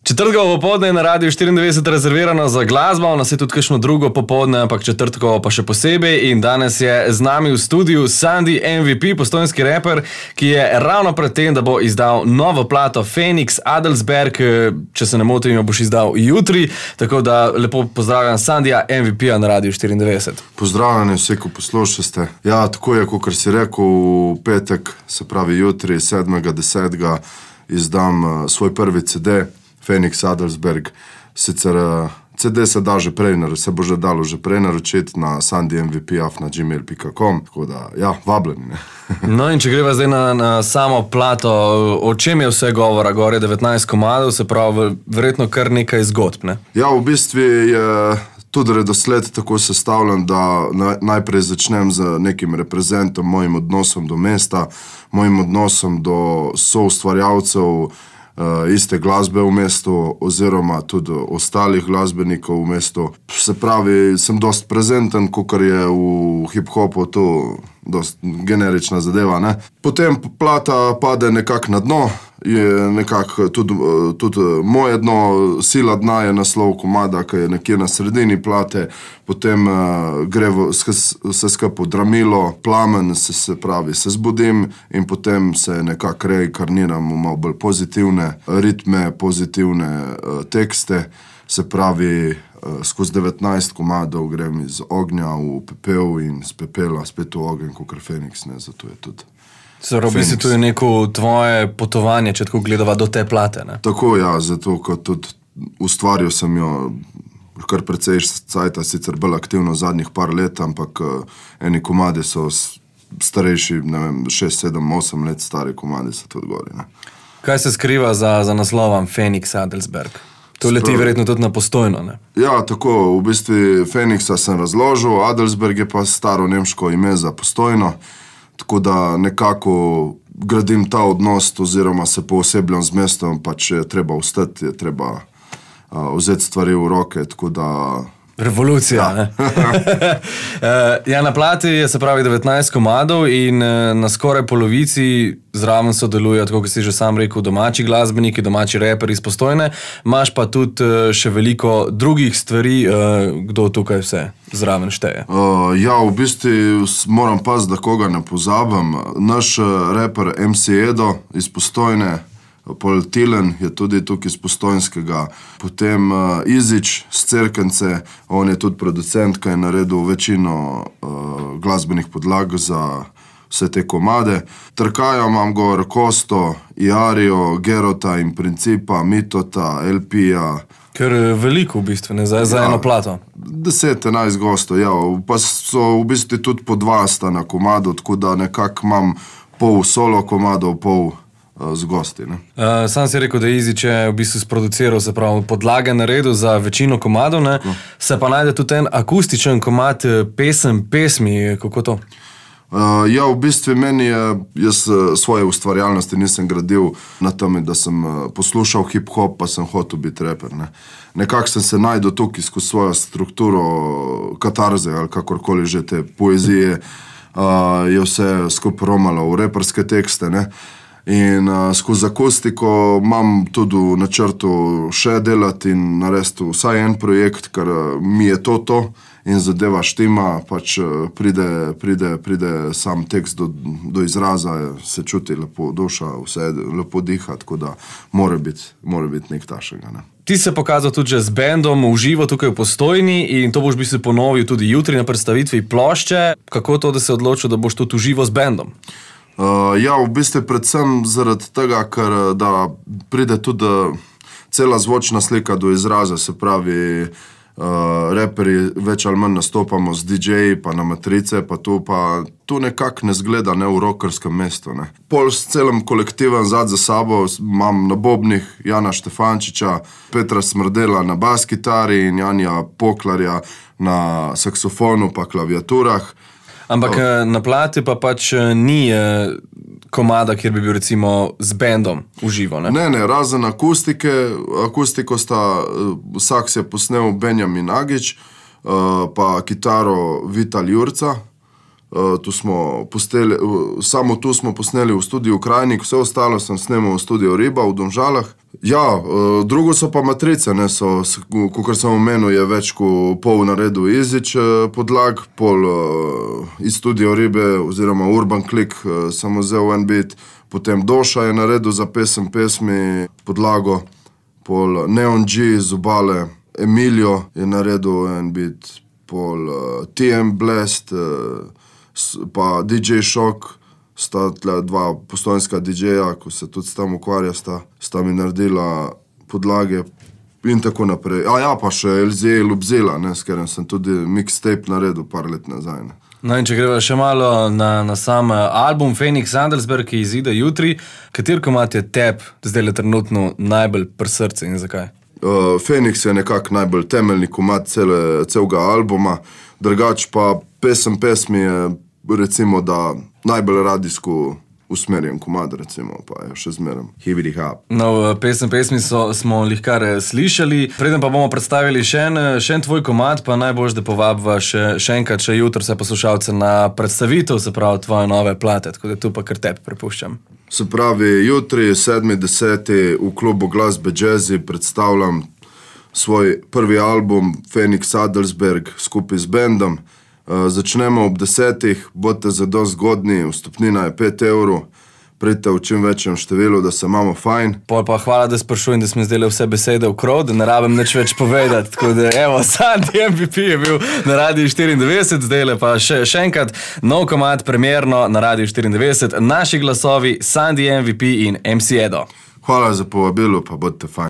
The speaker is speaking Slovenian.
Četrtkovo popoldne je na Radiu 94 rezervirano za glasbo, nas je tudi kakšno drugo popoldne, ampak četrtkovo pa še posebej. In danes je z nami v studiu Sandy MVP, postojnski reper, ki je ravno pred tem, da bo izdal novo plato Phoenix Adelsberg, če se ne motim, jo boš izdal jutri. Tako da lepo pozdravljam Sandyja MVP-a na Radiu 94. Pozdravljeni vsi, ko poslušate. Ja, tako je, kot si rekel, v petek, se pravi jutri, 7.10. izdam svoj prvi CD. Phoenix Adelsberg, sicer CD se da že prej, se bo že dalo že prej naročiti na sandymvp@gmail.com, tako da, ja, vabljeni. No in če greva zdaj na samo plato, o čem je vse govora? Gore 19 komadov, se pravi, verjetno kar nekaj zgodb, ne? Ja, v bistvu je tudi redosled tako sestavljen, da najprej začnem z nekim reprezentom, mojim odnosom do mesta, mojim odnosom do soustvarjalcev, iste glasbe v mestu oziroma tudi ostalih glasbenikov v mestu. Se pravi, sem dost prezenten, kakor je v hip-hopu to dost generična zadeva, ne. Potem plata pade nekako na dno, je nekako tudi moje dno, Sila dna je naslov komada, ki je nekje na sredini plate, potem gre vse skupaj v dramilo, plamen, se pravi, se zbudim in potem se nekako reinkarniram v malo bolj pozitivne ritme, pozitivne tekste, se pravi, skozi 19 komadov grem iz ognja v pepel in z pepela spet v ogenj, kakor Phoenix, ne, zato je tudi v bistvu to je neko tvoje potovanje, če tako gledava do te plate, ne? Tako, ja, zato, kot tudi ustvaril sem jo kar precej cajta, sicer bolj aktivno zadnjih par let, ampak eni komadi so starejši, ne vem, 6, 7, 8 let stari komadi so tudi gori, ne. Kaj se skriva za naslovom Phoenix Adelsberg? To leti verjetno tudi na Postojno, ne? Ja, tako, v bistvu Phoenixa sem razložil, Adelsberg je pa staro nemško ime za Postojno, tako da nekako gradim ta odnos oziroma se poosebljam z mestom, pač je treba vstati, je treba vzeti stvari v roke, tako da... Revolucija, ja. Ne? Ja, na plati je, se pravi, 19 komadov in na skoraj polovici zraven sodelujo, tako kot si že sam rekel, domači glasbeniki, domači reperi iz Postojne. Imaš pa tudi še veliko drugih stvari, kdo tukaj vse zraven šteje. Ja, v bistvu moram paziti, da koga ne pozabim. Naš reper MC Edo iz Postojne, Pol Tilen je tudi tukaj iz Postojnskega, potem Izič z Cerkence, on je tudi producent, ki je naredil večino glasbenih podlag za vse te komade. Trkaja imam gor Kosto, Iarijo, Gerota in Principa, Mitota, LP-ja. Ker veliko v bistvu, ne, za eno plato. 10-11 gostov, ja, pa so v bistvu tudi po 2 sta na komadu, tako da nekako imam pol solo komadov, pol z gosti, ne. Sam si rekel, da Izič je v bistvu sproduciral, se pravi, podlage naredil za večino komadov, ne. Se pa najde tudi en akustičen komad pesmi, kako to? Ja, v bistvu meni je, jaz svoje ustvarjalnosti nisem gradil na tem, da sem poslušal hip-hop, pa sem hotel biti reper, ne. Nekako sem se najdel tukaj skozi svojo strukturo katarze ali kakorkoli že te poezije, je vse skupaj romalo v reperske tekste, ne. In skozi akustiko imam tudi v načrtu še delati in narediti vsaj en projekt, ker mi je to in zadeva štima, pač pride sam tekst do izraza, se čuti lepo duša, vse lepo diha, tako da mora biti nek tašega, ne. Ti se pokazal tudi že z bendom v živo tukaj v Postojni in to boš v bistvu ponovil tudi jutri na predstavitvi plošče. Kako to, da se odločil, da boš tudi v živo z bendom? Ja, v bistvu predvsem zaradi tega, ker da pride tudi cela zvočna slika do izraza, se pravi, reperi več ali manj nastopamo z DJ-ji, pa na matrice, pa tu nekako ne zgleda, ne, v rockerskem mestu, ne. Pol s celim kolektivom za sabo imam na bobnih Jana Štefančiča, Petra Smrdela na bas-kitari in Janja Poklarja na saksofonu pa klaviaturah. Ampak na plati pa pač ni komada, kjer bi bil recimo z bendom v živo, ne? Ne, razen akustiko sta, vsak se je posnel Benjamin Agič, pa kitaro Vital Jurca. Samo tu smo posneli v studiu Krajnik, vse ostalo sem snemal v studiu Riba v Domžalah Ja, drugo so pa matrice, ne, kakor sem omenil, je več kot pol naredil Izič podlag, pol iz Studio Ribe oziroma Urban Click sem vzel en bit, potem Doša je naredil za pesmi podlago, pol Neon G z Obale, Emilio je naredil en bit, pol TM Blast, pa DJ Shock, sta tle dva postojnska DJ-ja, ko se tudi s tem ukvarja, sta mi naredila podlage in tako naprej. Pa še LZ Lubzela, s katerim sem tudi mixtape naredil par let nazaj. Ne. No in če greva še malo na sam album Phoenix Adelsberg, ki izide jutri, kater komad je teb zdaj trenutno najbolj pri srcu in zakaj? Phoenix je nekako najbolj temeljni komad celega albuma, drugač pa pesmi je recimo, da najbolj radijsko usmerjen komad, recimo, pa je še zmeraj hibidi hap. No, pesmi smo lihkar slišali, preden pa bomo predstavili še en tvoj komad, pa najbolj, da povabva še enkrat, še jutro se poslušalce na predstavitev, se pravi tvoje nove plate, tako da tu pa kar tebi prepuščam. Se pravi, jutri 7.10. v klubu Glasbe Jazzy predstavljam svoj prvi album Phoenix Adelsberg skupaj z bendom. Začnemo ob 10, bodite zadosti zgodni, vstopnina je 5 €, pridite v čim večjem številu, da se imamo fajn. Pol pa hvala, da sprašujem, da smo zdaj vse besede v krov, da ne rabim nič več povedati, tako da evo, Sandy MVP je bil na Radiu 94, zdaj pa še enkrat nov komad premierno na Radiu 94, naši glasovi Sandy MVP in MC Edo. Hvala za povabilo, pa bodite fajn.